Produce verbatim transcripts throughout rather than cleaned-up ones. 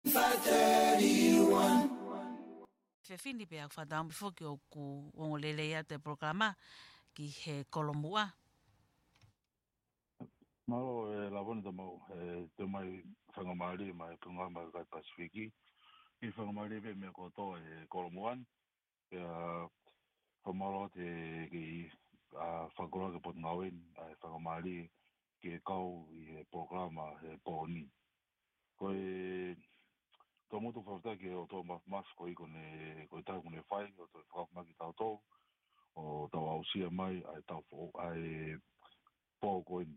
five thirty-one. Fefine, pea ʻoku fakatauange foki ʻoku ongo lelei atu e polokalama ki he kolomuʻa. Mālō, ē, Lavoni Tamau, ē, toe mai faingamālie mai pungama kai Pasifiki. ʻI faingamālie pē meʻa kotoa ʻi he kolomuʻa ni. Pea fakamālō atu ki he, ā, fakakoloa ki he Potungāue ni, ʻa e faingamālie ke kau ʻi he polokalama he pō ni. Ko e, tau mutu fakafetaʻi ki he ʻOtua Māfimafi ko e ʻikai ko ne, ko e taimi kuo ne fai, ʻo toe fakaʻapaʻapa mai kiate kitautolu, ʻo tau aʻusia mai, ʻa e tau fo-, ʻa e pō ko eni.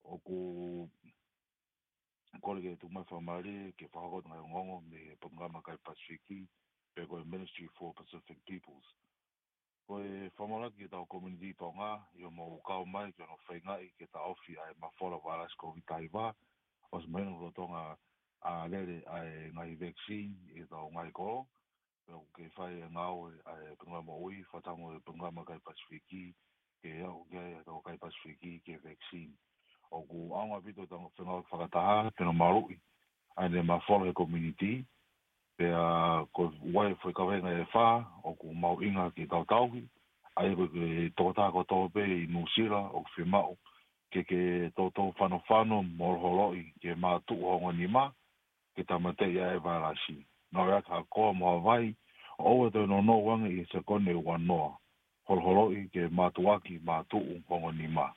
ʻOku kole ke tuku mai faingamālie, ke fakahoko atu e ngaahi ongoongo mei he Potungāue Maʻa Kai Pasifiki, pe ko e Ministry for Pacific Peoples. Ko e fakamālō ki heʻetau community Tonga, ʻi hoʻomou kau mai ki hono feingaʻi ke taʻofi ʻa e mafola vailasi Covid taha hiva, ʻosi mahino lolotonga ʻa e lele ʻa e ngaahi vaccine ʻi heʻetau ngaahi kolo, pea ʻoku kei fai e ngāue ʻa e Potungāue Moʻui, fakataha mo e Potungāue Maʻa Kai Pasifiki, ke aʻu ki ai ʻetau kai Pasifiki ki he vaccine. ʻOku ʻaonga ʻaupito ʻetau fengāueʻaki fakataha, ke ne maluʻi ʻa ʻene mafola he community, pea ko e ua e foʻi kaveinga ʻe fā ʻoku mahuʻinga ke tau tauhi, ʻa ia ko e tokotaha kotoa pē ʻi Nuʻusila ʻoku fiemaʻu ke ke toutou fanofano mo holoholoʻi ke mātuʻu ho ongo nima, ke tāmateʻi ʻa e vailasi. Ngāueʻaki ha koa mo ha vai, ʻo ʻoua ʻe toe nounou ange ʻi he sekoni ʻe ua noa. Holoholoʻi ke mātuʻaki mātuʻu ho ongo nima.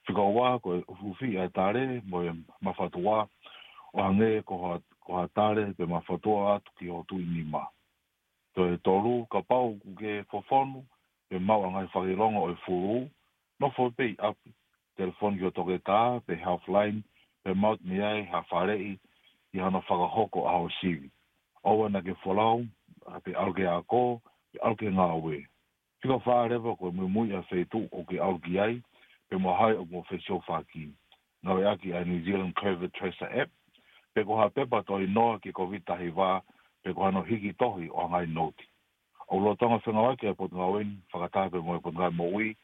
Fika ua, ko e ʻufiʻufi ʻa e tale mo e mafatuʻa, ʻo hangē ko ha, ko ha tale pe mafatuʻa atu ki ho tuʻi nima. Toe tolu, kapau ʻoku ke fofonu pe maʻu ʻa e ngaahi fakaʻilonga ʻo e fulū, nofo pē ʻi ʻapi, telefoni ki ho toketā pe Healthline, pe maʻu mei ai ha faleʻi ʻi hano fakahoko ʻa ho sivi. ʻOua naʻa ke folau, ā, pe ʻalu ki he ako, pe ʻalu ki he ngāue. Fika fā leva, ko e muimui ʻa e feituʻu ʻoku ke ʻalu ki ai, pe mo hai ʻoku mo fesiofaki. Ngāueʻaki ʻa e New Zealand Covid Tracer App, pe ko ha pepa toʻo ʻi noa ki he Covid taha hiva, pe ko hano hiki tohi ʻo ha ngaahi nouti. ʻOku lolotonga fengāueʻaki ʻa e Potungāue ni, fakataha pē mo e Potungāue Moʻui,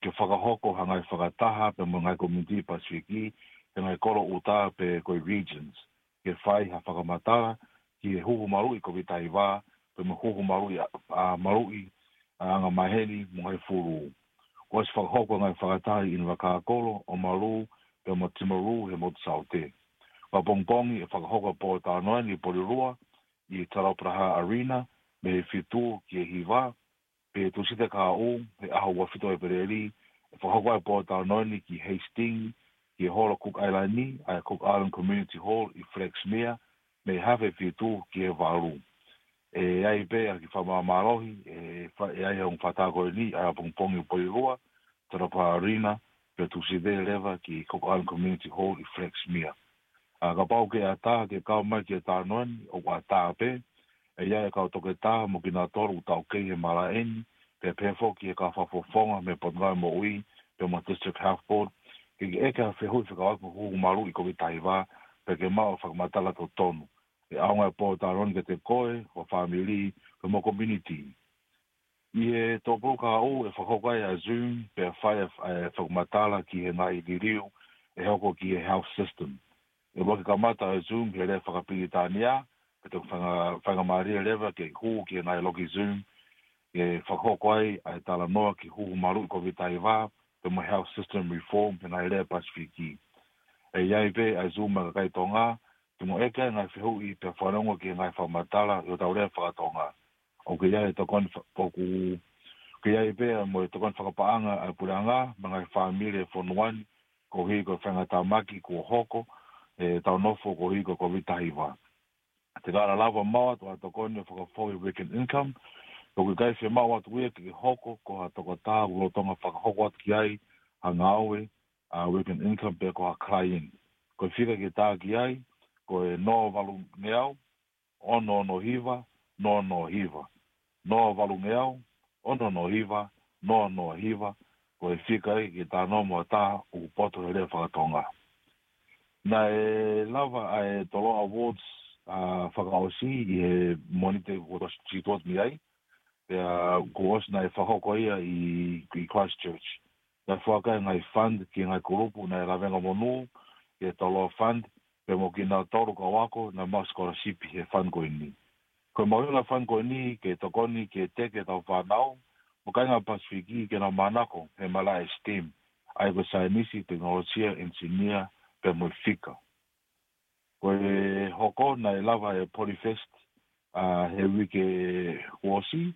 ke fakahoko ha ngaahi fakataha pea mo e ngaahi community Pasifiki, he ngaahi kolo ʻuta pe ko e regions, ke fai ha fakamatala ki he huhu maluʻi Covid taha hiva, pea mo e huhu maluʻi ʻa, ʻa, maluʻi ʻa e anga maheni mo e ngaahi fulū. Kuo ʻosi fakahoko e ngaahi fakataha ʻi ʻIni Vakākolo, ʻOmalu, pea mo Timaru he motu Saute. Fakapongipongi ʻe fakahoko e pōtalanoa ni ʻi Porirua, ʻi he Tarawa Praha Arena, mei he fitu ki he hiva, pea Tūsite kahaʻu, he ʻaho ua fitu ʻo ʻEpeleli, ʻe fakahoko ai e pōtalanoa ni ki Hastings, ki he holo Cook Island ni, ʻa e Cook Island Community Hall ʻi Flaxmere, mei he hafe fitu ki he valu. ʻE ʻi ai pē ʻa e kiʻi fakamālohi, ʻe fa-, ʻe ʻi ai e ongo fakataha ko eni, ʻa e ʻapongipongi ʻi Porirua, Tarawa Praha Arena, pea Tūsite leva ki Cook Island Community Hall ʻi Flaxmere. ʻA, kapau ʻoku ke ʻatā ke kau mai ki he talanoa ni, ʻoku ʻatā pē, ʻe ʻi ai e kau toketā mo kinautolu ʻoku taukei he malaʻe ni, pea pehē foki ki he kau fakafofonga mei he Potungāue Moʻui, pea mo e District Health Board, ke ke ʻeke ha fehuʻi fekauʻaki mo e huhu maluʻi Covid taha hiva, pea ke maʻu e fakamatala totonu. ʻE ʻaonga e pōtalanoa ni kiate koe, ho fāmili, pea mo e community. ʻI he tōpulu kahaʻu ʻe fakahoko ai ʻa e Zoom, pea fai ʻa e, ʻa e fakamatala ki he ngaahi liliu ʻe hoko ki he health system. ʻE ʻuluaki kamata ʻa e Zoom he lea fakapilitānia, pea te u fainga-, faingamālie leva ke hū ki he ngaahi loki Zoom, ʻe fakahoko ai ʻa e talanoa ki he huhu maluʻi Covid taha hiva, pea mo e health system reform he ngaahi lea Pasifiki. ʻE ʻi ai pē ʻa e Zoom ʻa e kakai Tonga, te mo ʻeke ai e ngaahi fehuʻi pea fanongo ki he ngaahi fakamatala ʻi hotau lea faka-Tonga. ʻOku ʻi ai e tokoni fa-, ʻoku, ʻoku ʻi ai pē mo e tokoni fakapaʻanga ʻa e puleʻanga, mo e ngaahi fāmili ʻo e fonua ni, koeʻuhi ko e faingataʻa mahaki kuo hoko, ʻetau nofo koeʻuhi ko e Covid taha hiva. Te ka lava maʻu atu ʻa e tokoni ʻo e fakafoʻou weekend income, ʻoku ʻikai fiemaʻu atu ia ke hoko ko ha tokotaha ʻoku lolotonga fakahoko atu ki ai ha ngāue, ʻa e weekend income pe ko ha client. Ko e fika ke tā ki ai, ko e noa valungeau, ono ono hiva, noa noa hiva. Noa valungeau, ono ono hiva, noa noa hiva. Ko e fika ia ke talanoa mo ha taha ʻoku poto he lea faka-Tonga. Naʻe lava ʻa e Toloa Awards, ʻa, fakaʻosi ʻi he Mōnite kuo ʻosi tuʻo mei ai. Pea kuo ʻosi naʻe fakahoko ia ʻi, ʻi Christchurch. Naʻe foaki e ngaahi fund ki he ngaahi kulupu naʻe lavengamonū, ki he Toloa Fund, pea mo kinautolu kau ako naʻa maʻu scholarship he fund ko eni. Ko e mahuʻinga e fund ko eni ke tokoni ke teke ʻetau fānau mo e kāinga Pasifiki ke nau manako he malaʻe STEM, ʻa ia ko e saienisi, tekinolosia, enisinia, pea mo e fika. Ko e hoko naʻe lava e Polyfest, ʻa, he uike kuo ʻosi,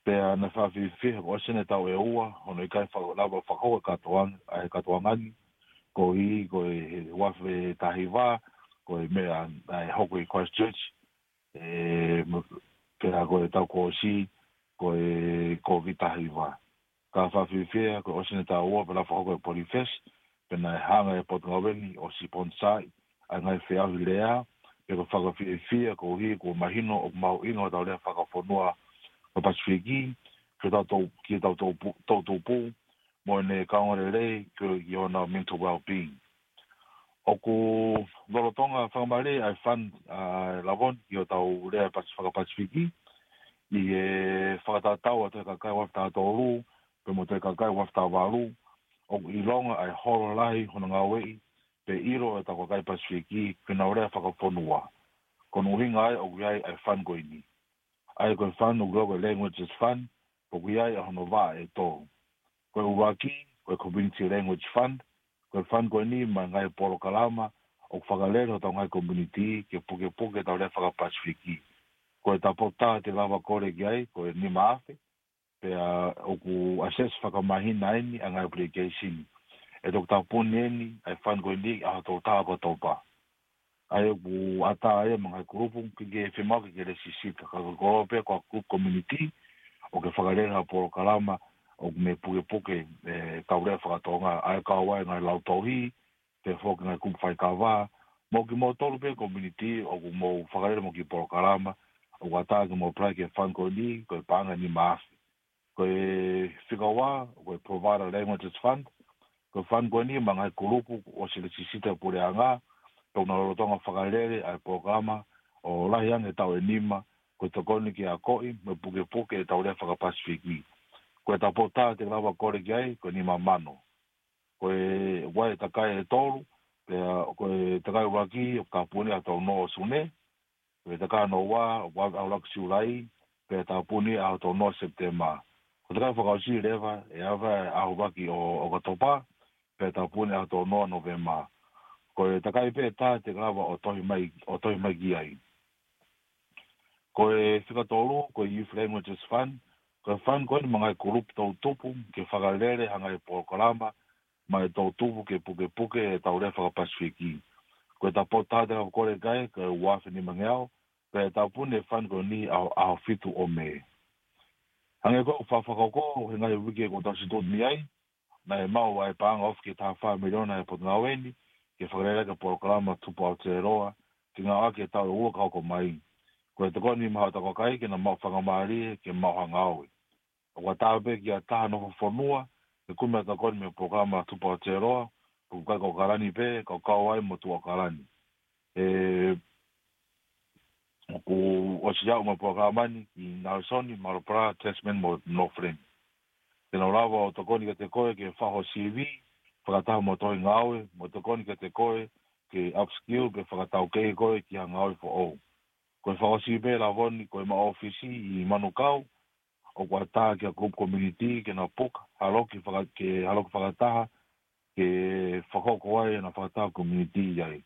pea naʻe fakafiefia he kuo ʻosi ʻeni e taʻu ʻe ua hono ʻikai faka-, lava fakahoko e kātoanga, ʻa e kātoanga ni, koeʻuhi ko e he ua afe taha hiva, ko e meʻa naʻe hoko ʻi Christchurch, ʻe, mo-, pea ko e taʻu kuo ʻosi, ko e Covid taha hiva. Ka fakafiefia, kuo ʻosi ʻeni e taʻu ua pea lava fakahoko e Polyfest, pea naʻe hanga ʻe he Potungāue ni ʻo siponisā ʻa e ngaahi feʻauhi lea, pea ko e fakafiefia koeʻuhi kuo mahino ʻoku mahuʻinga hotau lea fakafonua ʻo e Pasifiki, ki hotau tou-, ki hotau tou-, toʻutupu, mo ʻene kaungā lelei ki, ki hona mental well-being. ʻOku lolotonga fakamālie ʻa e fund, ʻa, Lavoni, ki hotau lea Pas-, faka-Pasifiki, ʻi he fakatatau ʻa e Toe Kakai ua afe taha tolu, pea mo e Toe Kakai ua afe taha valu, ʻoku ʻilonga ʻa e holo lahi hono ngāueʻi, pea ʻilo ʻe hotau kakai Pasifiki, ki honau lea fakafonua. Ko hono ʻuhinga ia ʻoku ʻi ai ʻa e fund ko eni. ʻA ia ko e fund ʻoku lau ko e Languages Fund, ʻoku ʻi ai ʻa hono vaʻa ʻe tolu. Ko e ʻuluaki, ko e Community Language Fund, ko e fund ko eni maʻu e ngaahi polokalama ʻoku fakalele hotau ngaahi community ke pukepuke ʻetau lea faka-Pasifiki. Ko e tau potu taha te lava kole ki ai, ko e nima afe, pea ʻoku assess fakamāhina ʻeni ʻa e ngaahi application. ʻE toki tāpuni ʻeni ʻa e fund ko eni ʻaho tolu taha ʻo ʻOkatopa. ʻA ia ʻoku ʻatā ia mo e ngaahi kulupu ke, ke fiemaʻu ke, ke lēsisita. Ka ko e koloa pē ko e group community, ʻoku fakalele ha polokalama ʻoku ne pukepuke, ʻe, ʻetau lea faka-Tonga, ʻa ia kau ai e ngaahi lautohi, pea foki e ngaahi kupu faikava, mo kimoutolu pē community ʻoku mou fakalele mo e kiʻi polokalama, ʻoku ʻatā ke mou apply ki he fund ko eni, ko e paʻanga ʻe nima afe. Ko e fika ua, ko e Provider Languages Fund, ko e fund ko eni maʻu e ngaahi kulupu kuo ʻosi lēsisita ʻe he puleʻanga, pea ʻoku nau lolotonga fakalele ʻa e polokalama ʻo lahi ange he taʻu ʻe nima, ko e tokoni ke akoʻi mo pukepuke ʻetau lea faka-Pasifiki. Ko e tau potu taha te lava kole ki ai, ko e nima mano. Ko e ʻoku ʻi ai e takai ʻe tolu, pea ko e takai ʻuluaki ʻoku tāpuni ʻaho tolu noa ʻo Sune, ko e takai hono ua ʻoku ʻave ʻaho ʻuluaki Siulai, pea tāpuni ʻaho tolu noa ʻo Sepitema. Ko e takai fakaʻosi leva ʻe ʻave ʻaho ʻuluaki ʻo, ʻo ʻOkatopa, pea tāpuni ʻaho tolu noa ʻo Nōvema. Ko e takai pē ʻe taha te lava ʻo tohi mai, ʻo tohi mai ki ai. Ko e fika tolu, ko e Youth Languages Fund, ko e fund ko eni maʻu e ngaahi kulupu toʻutupu ke fakalele ha ngaahi polokalama maʻa e toʻutupu ke pukepuke ʻetau lea faka-Pasifiki. Ko e tau potu taha te lava kole ki ai, ko e ua afe nimangeau, pea tāpuni e fund ko eni ʻaho, ʻaho fitu ʻo Mē. Hangē ko e fakahoko he ngaahi uike kuo tau situʻutu mei ai, naʻe maʻu ʻa e paʻanga ofi ki he taha fā miliona ʻe he Potungāue ni, ke fakalele ʻaki e polokalama Tupu Aotearoa, ke ngāueʻaki he taʻu ʻe ua ka hoko mai. Ko e tokoni maʻa hotau kakai ke nau maʻu faingamālie ke maʻu ha ngāue. ʻOku ʻatā pē kia taha nofo fonua ke kumi ha tokoni mei he polokalama Tupu Aotearoa, ʻoku ʻikai ko ʻAokalani pē, ka ʻoku kau ai mo Tuʻa ʻAokalani. ʻE, ʻoku ʻosi aʻu mai e polokalama ni ki Nalesoni, Maroopara, Tasman mo Northland. Te nau lava ʻo tokoni kiate koe ke fai ho C V, fakataha mo e tohi ngāue, mo tokoni kiate koe ke upskill pe fakataukei koe ki ha ngāue foʻou. Ko e fakaʻosi pē Lavoni, ko ʻema ʻōfisi ʻi Manukau, ʻoku ʻatā ki ha group community ke nau puka ha loki faka-, ke ha loki fakataha, ke fakahoko ai ʻena fakataha community ai.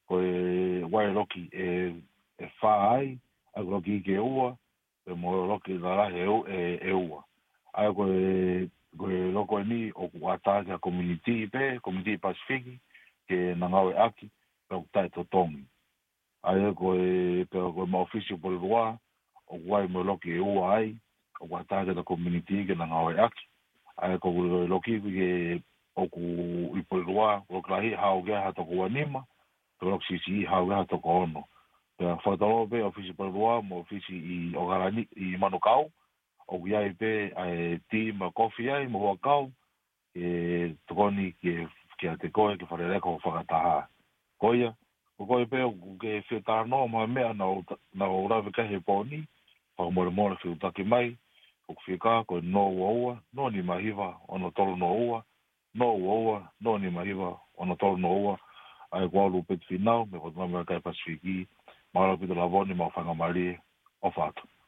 Ko e ʻoku ʻi ai e loki ʻe, ʻe fā ai, ʻa ia ko e loki ʻiiki ʻe ua, pea mo e loki lalahi ʻe u-, ʻe, ʻe ua. ʻA ia ko e, ko e loki ʻeni ʻoku ʻatā ki ha community pē, community Pasifiki, ke na ngāueʻaki, pea ʻoku taʻetotongi. ʻA ia ko e, pea ko ʻema ʻōfisi ʻi Porirua, ʻoku ʻi ai mo e loki ʻe ua ai, ʻoku ʻatā ki he community ke na ngāueʻaki. ʻA ia ko e loki ke ʻoku ʻi Porirua, loki lahi haʻu ki ai ha toko ua nima, pea loki siʻisiʻi haʻu ki ai ha toko ono. Pea fakatotolo pē ʻōfisi Porirua mo e ʻōfisi ʻi ʻAokalani, ʻi Manukau, ʻoku ʻi ai pē ʻa e tī mo e kofi ai, mo e huʻakau, ke tokoni ke, kiate koe, ke fakalele ʻaki ho fakataha. Ko ia, ko koe pē ʻoku ke fie talanoa mo ha meʻa naʻa ku ta-, naʻa ku lave ki ai he pō ni, fakamolemole fetuʻutaki mai, ʻoku fika ko e noa ua ua, noa nima hiva, ono tolu noa ua, noa ua ua, noa nima hiva, ono tolu noa ua, ʻA ia ko au Lupeti Finau, mei Potungāue Kai Pasifiki, mālō ʻaupito Lavoni, mau faingamālie, ʻofa atu.